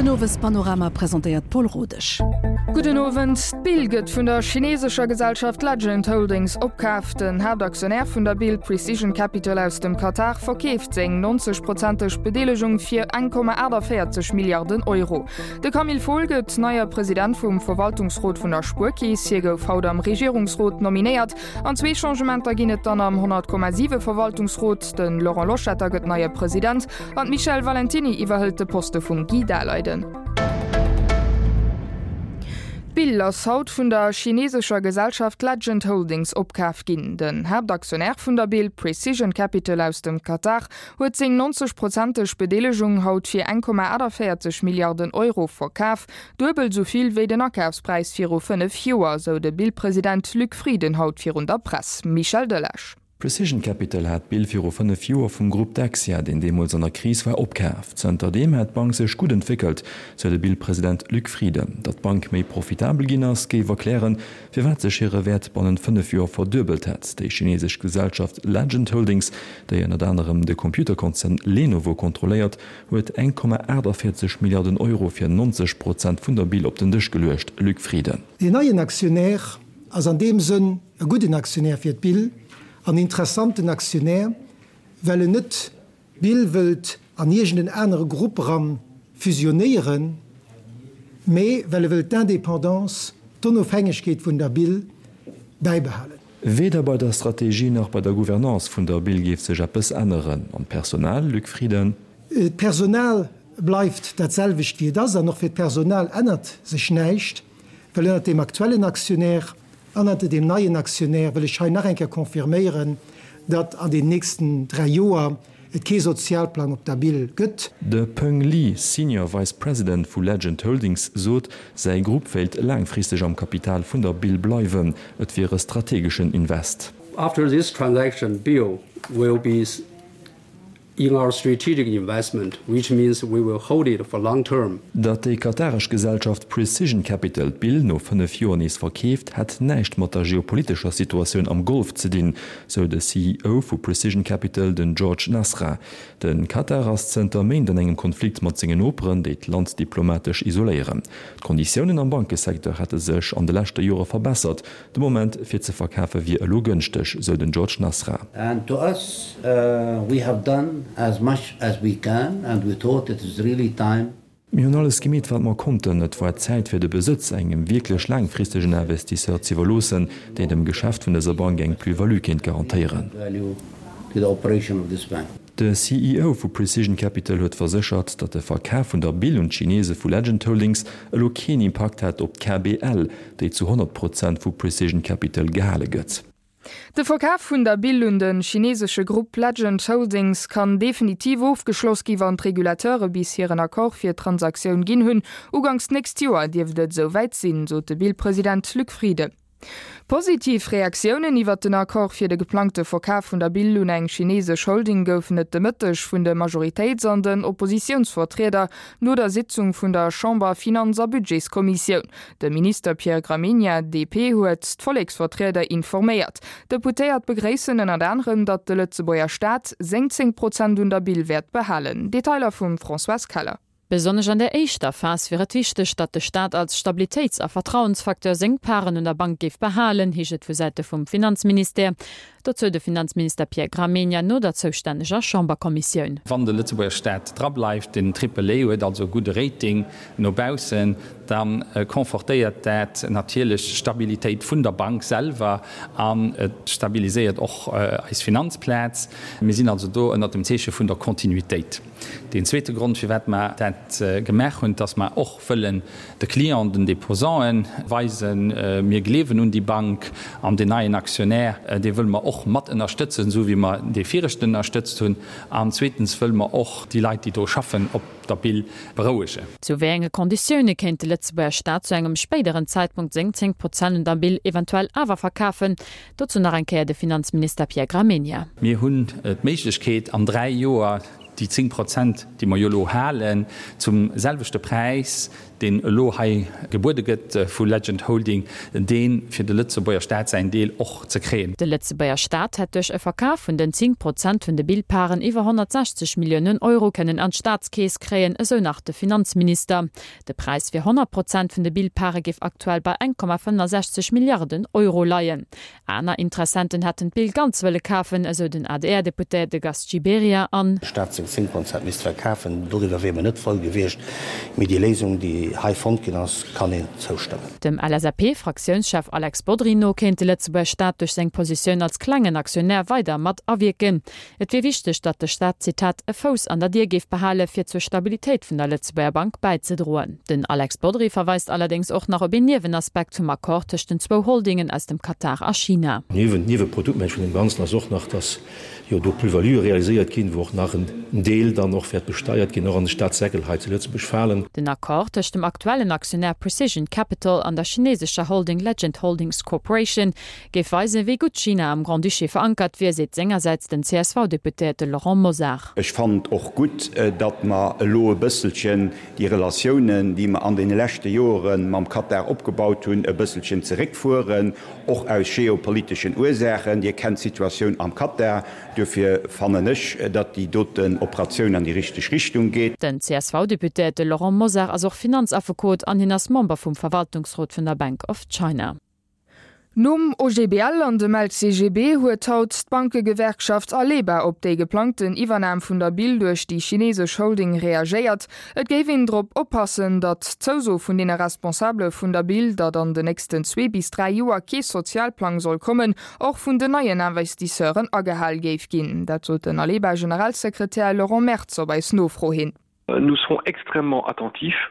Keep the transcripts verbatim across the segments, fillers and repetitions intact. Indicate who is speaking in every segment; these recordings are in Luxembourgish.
Speaker 1: Den Owespanorama presentéiert d'Paule Rodesch.
Speaker 2: Gudden Owend. D'Bill gëtt vun der chinesescher Gesellschaft Legend Holdings opkaaft. Den Haaptaktionär vun der Bill, Precision Capital aus dem Katar, verkeeft seng neunzeg prozenteg Bedeelegung fir eng Komma achtundvierzeg Milliarden Euro. De Camille Fohl gëtt neie President vum Verwaltungsrot vun der Spuerkeess. Hie gouf haut am Regierungsrot nominéiert. An zwee Changementer ginn et dann am honnert Komma siwe Verwaltungsrot. De Laurent Loschetter gëtt neie President an d'Michèle Valentiny iwwerhëlt de Poste vum Guy Daleiden. D'Bill ass haut vun der chinesescher Gesellschaft Legend Holdings opkaf ginn. Den Haaptaktionär vun der Bill, Precision Capital aus dem Katar, huet seng neunzeg-prozenteg Bedeelegung haut fir eng Komma achtundvierzeg Milliarden Euro verkaf, duebel esou vill wéi den Akafspräis viru fënnef Joer, sou de Bill-President Luc Frieden haut virun der Press. Michel Delage.
Speaker 3: Precision Capital hat d'Bill viru fënnef Joer vum Grupp Dexia, deen deemools an der Kris war, opkaaft. Zënterdeem hätt d'Bank sech gutt entwéckelt, sou de Bill-President Luc Frieden. Datt d'Bank méi profitabel ginn ass, géif erklären, firwat sech hire Wäert bannent fënnef Joer verduebelt hätt. Déi chinesesch Gesellschaft Legend Holdings, déi ënnert anerem de Computerkonzern Lenovo kontrolléiert, huet eng Komma achtundvierzeg Milliarden Euro fir neunzeg Prozent vun der Bill op den Dësch geluecht. Luc Frieden.
Speaker 4: Deen neien Aktionär ass an deem Sënn e gudden Aktionär fir d'Bill, an interessanten Aktionär, well en net d'Bill wëllt an iergenden anere Grupp eran fusionéieren, mee well e wëllt d'Indépendance, d'Onofhängegkeet vun der Bill bäibehalen.
Speaker 3: Weder bei der Strategie nach bei der Gouvernance vun der Bill géif sech eppes änneren. An d'Personal, Luc Frieden?
Speaker 4: D'Personal bleift dat selwecht wéi et ass, an och fir d'Personal ännert sech näischt, well ënnert dem aktuellen Aktionär an ënnert dem neien Aktionär wëll ech hei nach eng Kéier confirméieren, datt an den nächsten dräi Joer et kee Sozialplang op der Bill gëtt.
Speaker 3: De Peng Li, Senior Vice President vu Legend Holdings, sot, säi Grupp wéilt laangfristeg am Kapital vun der Bill bleiwen. Et wier e strategeschen Invest.
Speaker 5: After this transaction, Bill will be in our strategic investment, which means we will hold it for long term.
Speaker 3: Datt déi kataresch Gesellschaft Precision Capital d'Bill no fënnef Joer nees verkeeft, hätt näischt mat der geopolitescher Situatioun am Golf ze dinn, sou de C E O vu Precision Capital, den George Nasra. De Katar ass zënter Méint an engem Konflikt mat sengen Noperen, déi d'Land diplomatesch isoléieren. D'Konditiounen am Bankesecteur hätte sech an de leschte Jore verbessert. De Moment fir ze verkafe wier elo gënschteg, sou den George Nasra.
Speaker 6: And to us, uh, we have done as much as we can and we thought it is really time.
Speaker 3: Mir hunn alles gemeet, wat mer konnten. Et war Zäit fir de Besëtz engem wierklech laangfristegen Investisseur ze iwwerloossen, deen dem Geschäft vun dëser Bank eng Plus-value kéint garantéieren.
Speaker 6: Value to the operation of this bank.
Speaker 3: De C E O vu Precision Capital huet verséchert, datt de Verkaf vun der Bill un d'Chinese vu Legend Holdings elo keen Impakt hätt op d'K B L, déi zu honnert Prozent vu Precision Capital gehale gëtt.
Speaker 2: De Verkaf vun der Bill un den chinesesche Grupp Legend Holdings kann definitiv ofgeschloss gi wann d'Regulateure bis hiren Accord fir d'Transactioun ginn hunn. Ugangs d'nächst Joer dierft et souwäit sinn, sot de Bill-President Luc Frieden. Positiv Reaktiounen iwwer den Accord fir de geplangte Verkaf vun der Bill un eng chinesesch Holding goufen et de Mëtteg vun de Majoritéits- an den Oppositiounsvertrieder no der Sitzung vun der Chamber Finanz- a Budgetskommissioun. De Minister Pierre Gramegna, D P, huet d'Volleksvertrieder informéiert. Deputéiert begréissen ënnert anderem, datt de Lëtzebuerger Staat sechzehn Prozent un der Bill wäert behalen. Detailer vum Françoise Keller.
Speaker 7: Besonnesch an der éischter Phas wier et wichteg, datt de Staat als Stabilitéits- a Vertrauensfaktor seng Paren un der Bank géif behalen, heescht et vu Säite vum Finanzministère. Dozou de Finanzminister Pierre Gramegna no der zoustänneger Chamberkommissioun.
Speaker 8: Wann de Lëtzebuerger Staat dra bleift, den Triple A huet also gudde Rating no baussen, dann confortéiert dat natierlech d'Stabilitéit vun der Bank selwer an et stabiliséiert och eis Finanzplaz. Mir sinn also do ënner dem Zeeche vun der Kontinuitéit. Den zweete Grond, firwat mer dat gemaach hunn, dass mer och wëllen de Client, den Déposanten weisen, mir gleewen un déi Bank an den neien Aktionär, dee wëlle mer och mat ënnerstëtzen, sou wéi mer dee viregten ënnerstëtzt hunn. An zweetens wëlle mer och déi Leit, déi do schaffen, op der Bill berouegen.
Speaker 7: Zu wéi enge Konditioune kéint de Lëtzebuerger Staat zu engem spéideren Zeitpunkt sechzehn Prozent un der Bill eventuell awer verkafen? Dozou nach eng Kéier de Finanzminister Pierre Gramegna.
Speaker 8: Mir hunn d'Méiglechkeet, an dräi Joer déi zéng Prozent, déi mer jo elo halen, zum selwechte Präis, deen elo hei gebuede gëtt vu Legend Holding, dee fir de Lëtzebuerger Staat säin Deel och ze kréien.
Speaker 7: De Lëtzebuerger Staat hätt duerch e Verkaf vun den zéng Prozent vun de Bill-Paren iwwer honnertsechzeg Milliounen Euro kënnen an d'Staatskeess kréien, esou nach de Finanzminister. De Präis fir honnert Prozent vun de Bill-Pare géif aktuell bei eng Komma fënnefensechzeg Milliarden Euro leien. Aner Interessenten hätten d'Bill ganz wëlle kafen, esou den A D R-Deputéierte Gast Gibéryen an.
Speaker 9: Staat seng zéng Prozent misst verkafen, doriwwer wier mer net frou gewiescht, mee déi Léisung, déi hei fonnt ginn ass, kann een zoustëmmen.
Speaker 7: Dem L S A P-Fraktiounschef Alex Bodry no kéint de Lëtzebuerger Staat duerch seng Positioun als klengen Aktionär weider mat awierken. Et wier wichteg, datt de Staat, Zitat, e Fouss an der Dier géif behale fir zur Stabilitéit vun der Lëtzebuerger Bank bäizedroen. Den Alex Bodry verweist allerdéngs och nach op een Niewenaspekt vum Accord tëscht den zwou Holdingen aus dem Katar a China.
Speaker 10: Nieweprodukt vun deem Ganzen ass och nach, dass jo do Plus-value realiséiert ginn, wou och nach en Deel dann och wäert besteiert ginn, och an de Staatssäckel hei zu Lëtzebuerg falen.
Speaker 7: Den Accord tëscht dem aktuellen Aktionär Precision Capital an der chinesescher Holding Legend Holdings Corporation géif weisen, wéi gutt China am Grand-Duché verankert wier, seet sengersäits den C S V-Deputéierte Laurent Mosar.
Speaker 11: Ech fannen och gutt, datt mer elo e bësselchen déi Relatiounen, déi mer an deene leschte Jore mam Katar opgebaut hunn, e bësselchen zeréckfueren, och aus geopoliteschen Ursaachen. Dir kennt d'Situatioun am Katar. Duerfir fannen ech, datt déi doten Operatioun an déi richteg Richtung geet.
Speaker 7: Den C S V-Deputéierte Laurent Mosar ass och Finanzaffekot an hien ass Member vum Verwaltungsrot vun der Bank of China.
Speaker 2: Nom O G B L an dem L C G B huet haut d'Bankegewerkschaft Aleba op déi geplangten Iwwernam vun der Bill duerch déi chinesesch Holding reagéiert. Et géif een drop oppassen, datt d'Zouso vun deene Responsabele vun der Bill, datt an den nächsten zwee bis dräi Joer kee Sozialplang soll kommen, och vun den neien Investisseuren agehal géif ginn. Dat sot den Aleba-Generalsekretär Laurent Mertz op eis Nofro hin.
Speaker 12: Nous serons extrêmement attentifs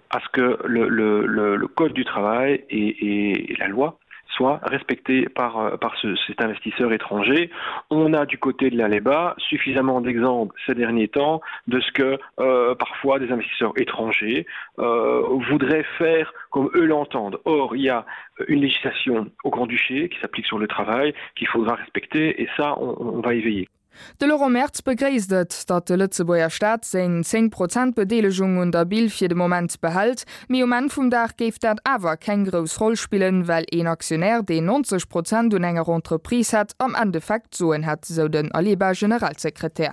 Speaker 12: à ce que le, le, le, le code du travail et, et, et la loi soient respectés par, par ce, cet investisseur étranger. On a du côté de l'Aleba suffisamment d'exemples ces derniers temps de ce que euh, parfois des investisseurs étrangers euh, voudraient faire comme eux l'entendent. Or, il y a une législation au Grand-Duché qui s'applique sur le travail qu'il faudra respecter et ça, on, on va y veiller.
Speaker 2: De Laurent Mertz begréisst et, datt de Lëtzebuerger Staat seng zéng Prozent Bedeelegung un der Bill fir de Moment behält, mee um Enn vum Dag géif dat awer keng grouss Roll spillen, well een Aktionär, deen neunzeg Prozent un enger Entreprise hätt, am Endeffekt d'Soen hätt, sou den Aleba-Generalsekretär.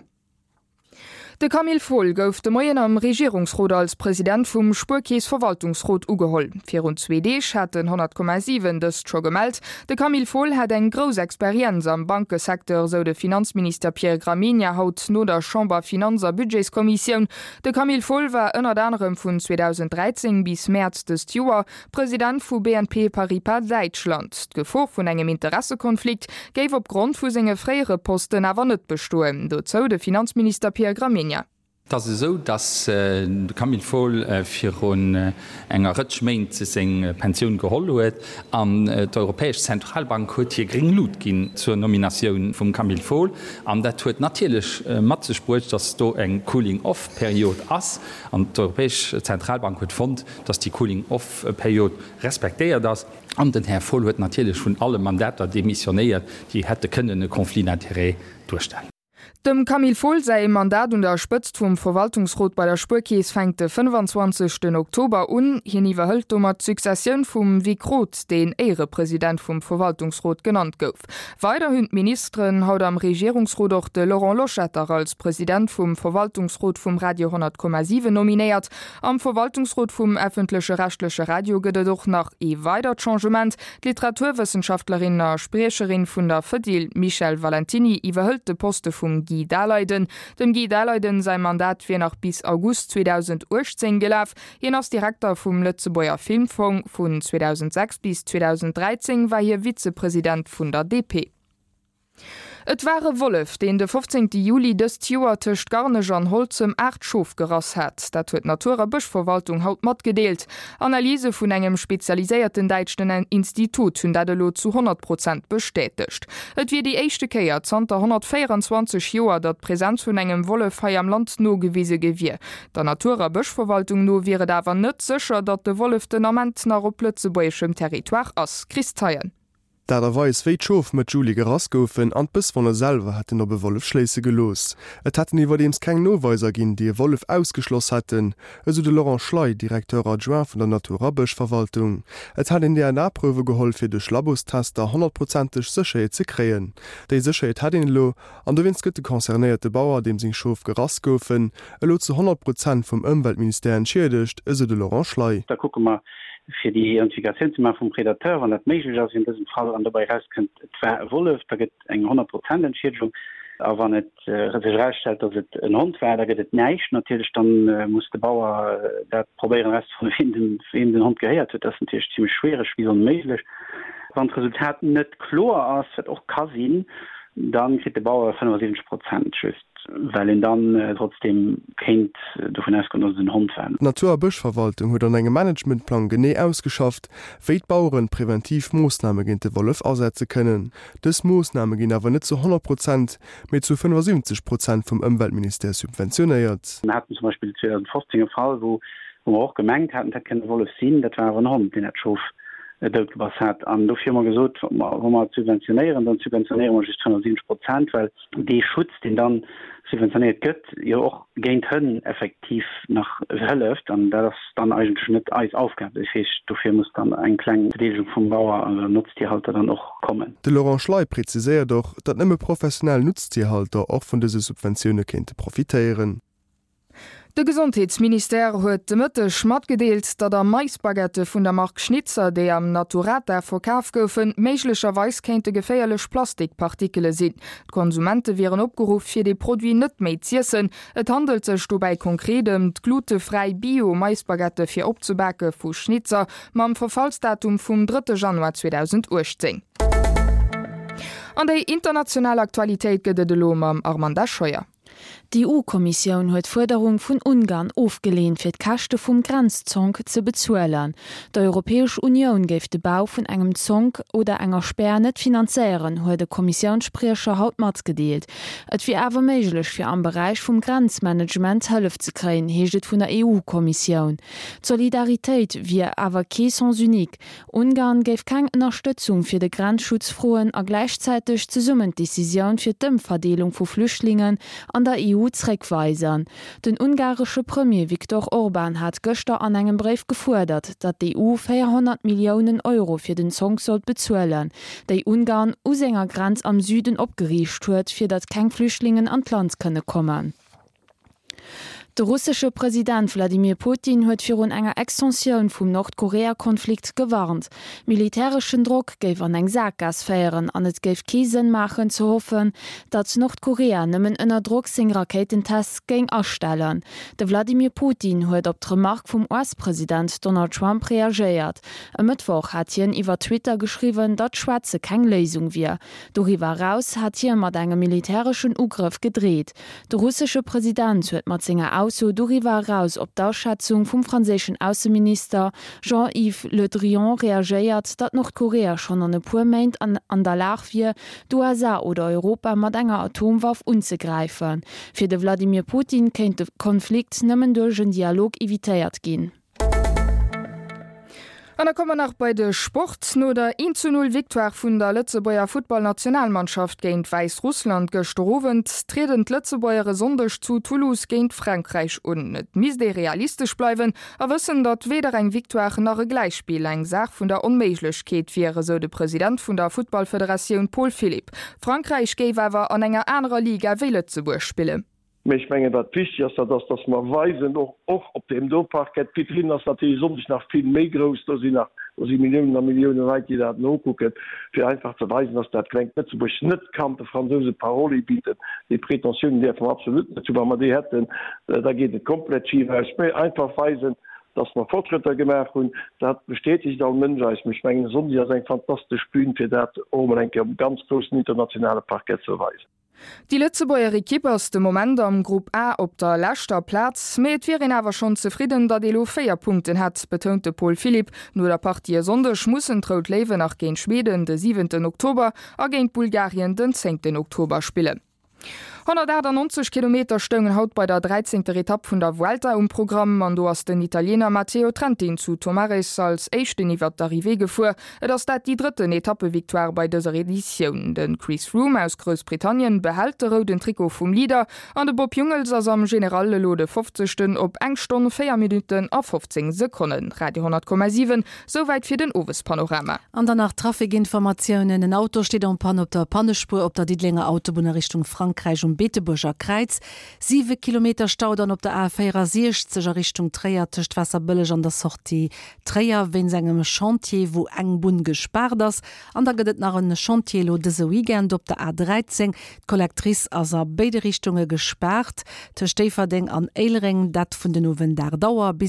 Speaker 2: De Camille Fohl gouf de Moien am Regierungsrot als President vum Spuerkeess-Verwaltungsrot ugeholl. Virun zwee Deeg hat den honnert Komma siwen dëst scho gemellt. De Camille Fohl hätt eng grouss Experienz am Bankesecteur, sou de Finanzminister Pierre Gramegna haut no der Chamber-Finanz a Budgetskommissioun. De Camille Fohl war ënnert anerem vun zweedausend dräizéng bis Mäerz dëst Joer President vu B N P Paribas Däitschland. D'Gefor vun engem Interessekonflikt géif opgrond vu senge fréiere Posten awer net bestoen, dozou de Finanzminister Pierre Gramegna.
Speaker 8: Et ass esou, datt de Camille Fohl virun enger Rëtsch Méint seng Pensioun geholl huet an d'Europäesch Zentralbank huet hir gréng Lut ginn zur Nominatioun vum Camille Fohl. An dat huet natierlech mat sech bruecht, datt do eng Cooling-off-Period ass. An d'Europäesch Zentralbank huet fonnt, datt déi Cooling-off-Period respektéiert ass. An den Här Fohl huet natierlech vun alle Mandater demissionéiert, déi hätte kënnen e Conflit d'intérêts duerstellen.
Speaker 2: Dem Camille Fohl säi Mandat un der Spëtzt vum Verwaltungsrot bei der Spuerkeess fänkt de fënnefenzwanzegsten Oktober un. Hien iwwerhëlt domat d'Successioun vum Vic Roth, deen Éierepresident vum Verwaltungsrot genannt gouf. Weider hunn d'Ministeren haut am Regierungsrot och de Laurent Loschetter als President vum Verwaltungsrot vum Radio honnert Komma siwen nominéiert. Am Verwaltungsrot vum effentleche rechtleche Radio gëtt et och nach ee weidert Changement, D'Literaturwëssenschaftlerin a Spriecherin vun der Fedil Michèle Valentiny iwwerhëlt de Poste vum Guy Daleiden. Dem Guy Daleiden säi Mandat wier nach bis August zweedausendachtzéng gelaf. Hien ass Direkter vum Lëtzebuerger Filmfong. Vun zweedausendsechs bis zweedausend dräizéng war hie Vizepresident vun der D P. Et war e Wollef, deen de fofzéngte Juli dëst Joer tëscht Garnech an Holzem aacht Schof gerass hat. Dat huet d'Natur a Bëschverwaltung haut matgedeelt. Analyse vun engem spezialiséierten däitschen Institut hunn dat elo zu honnert Prozent bestätegt. Et wier déi éischte Kéier zanter honnertvéierenzwanzeg Joer, datt d'Presenz vun engem Wollef hei am Land nogewise gi wier. Der Natur a Bëschverwaltung no wier et awer net sécher, datt de Wollef den Ament nach op lëtzebuergeschem Territoire ass. Chris Theien.
Speaker 13: D'Aart a Weis, wéi d'Schof Mëtt Juli gerass goufen an d'Bësswonne selwer hätten op e Wollef schléisse gelooss. Et hätten iwwerdeems keng Noweiser ginn, déi e Wollef ausgeschloss hätten, esou de Laurent Schley, Directeur adjoint vun der Natur a Bëschverwaltung. Et hätt een D N A-Prouwe geholl, fir duerch Labostester honnertprozenteg Sécherheet ze kréien. Déi Sécherheet hätt een elo, an dowéinst gëtt de concernéierte Bauer, deem seng Schof gerass goufen, elo zu honnert Prozent vum Ëmweltministère entschiedegt, esou de Laurent Schley.
Speaker 14: Da kucke mer, fir déi Identifikatioun ze maache vum Predateur, wann dat méiglech ass in dësem Fall, an dobäi erauskënnt, et war e Wollef, da gëtt eng honnert Prozent Entschiedegung. A wann et sech erausstellt, datt et en Hond war, da gëtt et näischt natierlech. Dann muss de Bauer dat probéieren erauszefannen, ween den, weem den Hond gehéiert huet. Dat ass natierlech zimlech schwiereg bis onméiglech. Wann d'Resultat net kloer ass, wat och ka sinn, da kritt de Bauer fënnefasiwwenzeg Prozent just. Well een dann trotzdem kéint dovun ausgoen, dass et en Hond war.
Speaker 13: D'Natur a Bëschverwaltung huet an engem Managementplang genee ausgeschafft, wéi d'Baueren preventiv Moossname géint de Wollef asetze kënnen. Dës Moossname ginn awer net zu honnert Prozent, mee zu fënnefasiwwenzeg Prozent vum Ëmweltministère subventionéiert.
Speaker 14: Mir haten zum Beispill zweedausendfofzéng e Fall, wou mer och gemengt haten, et hätt kënnen e Wollef sinn, dat war awer en Hond, deen dat Schof doutgebass hat. An dofir hu mer gesot, wa mer et subventionéieren, dann subventionéiere mer just fënnefasiwwenzeg Prozent, well dee Schutz, deen dann subventionéiert gëtt, jo och géint Hënn effektiv nach hëlleft. An dat ass dann eigentlech net eis Aufgab. Dat heescht, dofir muss dann eng kleng Bedeelegung vum Bauer oder Nutztierhalter dann och kommen.
Speaker 13: De Laurent Schley präziséiert och, datt nëmme professionell Nutztierhalter och vun dëse Subventioune kéinte profitéieren.
Speaker 2: De Gesondheetsministère huet de Mëtteg matgedeelt, datt a Maisbaguettë vun der Mark Schnitzer, déi am Naturata verkaf goufen, méiglecherweis kéinte geféierlech Plastikpartikele sinn. D'Konsumente wieren opgeruff, fir dee Produit net méi z'iessen. Et handelt sech dobäi konkret ëm d'glutefräi Bio-Maisbaguettë fir opzebake vu Schnitzer mam Verfallsdatum vum drëtte Januar zweedausendachtzéng. An déi international Aktualitéit gëtt et elo mam Armanda Scheuer.
Speaker 15: D'E U-Kommissioun huet d'Fuerderung vun Ungarn ofgeleent, fir d'Käschte vum Grenzzonk ze bezuelen. D'Europäesch Unioun géif de Bau vun engem Zonk oder enger Spär net finanzéieren, huet de Kommissiounsspriecher haut matgedeelt. Et wier awer méiglech fir am Beräich vum Grenzmanagement Hëllef ze kréien, heescht et vun der E U-Kommissioun. D'Solidaritéit wier awer kee Sens unique. Ungarn géif keng Ënnerstëtzung fir de Grenzschutz froen a gläichzäiteg zesummen d'Decisioun fir d'Ëmverdeelung vu Flüchtlingen an der E U zréckweisen. Den ungaresche Premier Viktor Orban hat gëschter an engem Bréif gefuerdert, datt d'E U véierhonnert Milliounen Euro fir den Zonk sollt bezuelen, déi Ungarn u senger Grenz am Süden opgeriicht huet, fir datt keng Flüchtlingen an d'Land kënne kommen. De russesche President Wladimir Putin huet virun enger Extensioun vum Nordkorea-Konflikt gewarnt. Militäreschen Drock géif an eng Sakgaass féieren an et géif kee Sënn maachen ze hoffen, datt Nordkorea nëmmen ënner Drock seng Rakéitentests géing astellen. De Wladimir Putin huet op d'Remark vum U S-President Donald Trump reagéiert. E Mëttwoch hat hien iwwer Twitter geschriwwen, datt Schwätze keng Léisung wier. Doriwwer eraus hat hie mat engem militäreschen Ugrëff gedreet. De russesche President huet mat senger Ausso doriwwer eraus op d'Aschätzung vum franséischen Ausseminister Jean-Yves Le Drian reagéiert, datt Nordkorea schonn an e puer Méint an an der Lag wier, d'U S A oder Europa mat enger Atomwaff unzegräifen. Fir de Wladimir Putin kéint de Konflikt nëmmen duerch en Dialog evitéiert ginn.
Speaker 2: An da komme mer nach bei de Sport. No der een zu null Victoire vun der Lëtzebuerger Futtballnationalmannschaft géint Wäissrussland gëschter Owend trieden d'Lëtzebuerger e Sonndeg zu Toulouse géint Frankräich un. Et misst ee realistesch bleiwen a wëssen, datt weder eng Victoire nach e Gläichspill eng Saach vun der Onméiglechkeet wier, esou de President vun der Futtballfederatioun Paul Philipp. Frankräich géif awer an enger anerer Liga wéi Lëtzebuerg spillen.
Speaker 16: Mee ech mengen, wat wichteg ass, dat ass, dass mer weisen, och och op deem do Parkett, d'Vitrinn ass natierlech e Sonndeg nach vill méi grouss, do sinn nach, do si Milliounen a Millioune Leit, déi dat nokucken, fir einfach ze weisen, dass dat klengt Lëtzebuerg net kann de Fransouse Paroli bidden. Déi Pretentiounen däerfe mer absolut net hunn. Wa mer déi hätten, da geet et komplett schif aus. Mee einfach weisen, dass mer Fortschrëtter gemaach hunn, dat bestätegt all Mënsch eis. Mee ech mengen, e Sonndeg ass eng fantastesch Bühn, fir dat och emol eng Kéier um ganz groussen internationale Parkett ze weisen.
Speaker 2: Déi Lëtzebuerger Ekipp ass de Moment am Grupp A op der leschter Plaz, mee et wier een awer schonn zefridden, datt ee lo véier Punkten hätt, betount de Paul Philipp. No der Partie e Sonndeg mussen d'Rout Léiwen nach géint Schweden de siwenten Oktober a géint Bulgarien den zéngten Oktober spillen. Honnertaachtanonzeg Kilometer stoungen haut bei der dräizéngter Etapp vun der Vuelta um Programm an do ass den Italiener Matteo Trentin zu Tomares als éischten iwwert d'Arrivée gefuer. Et ass dat déi drëtten Etappevictoire bei dëser Editioun. De Chris Froome aus Groussbritannien behält de rouden Trikot vum Leader an de Bob Jungels ass am General elo de fofzegsten op eng Stonn, véier Minutten a fofzéng Sekonnen. Radio honnert Komma siwen, Souwäit fir den Owespanorama.
Speaker 17: An dann nach Trafikinformatiounen, En Auto steet en panne op der Pannespuer op der Diddelenger Autobunn a Richtung Frankräich um Beetebuerger Kräiz. Siwe Kilometer Stau dann op der A véierasiechzeg a Richtung Tréier tëscht Waasserbëlleg an der Sortie Tréier wéinst engem Chantier, wou eng Bunn gespaart ass. An da gëtt et nach en Chantier elo dëse Weekend op der A dräizéng. D'Collectrice ass a béide Richtunge gespaart tëscht Déifferdeng an Éilereng, dat vun den Owend aacht Auer bis.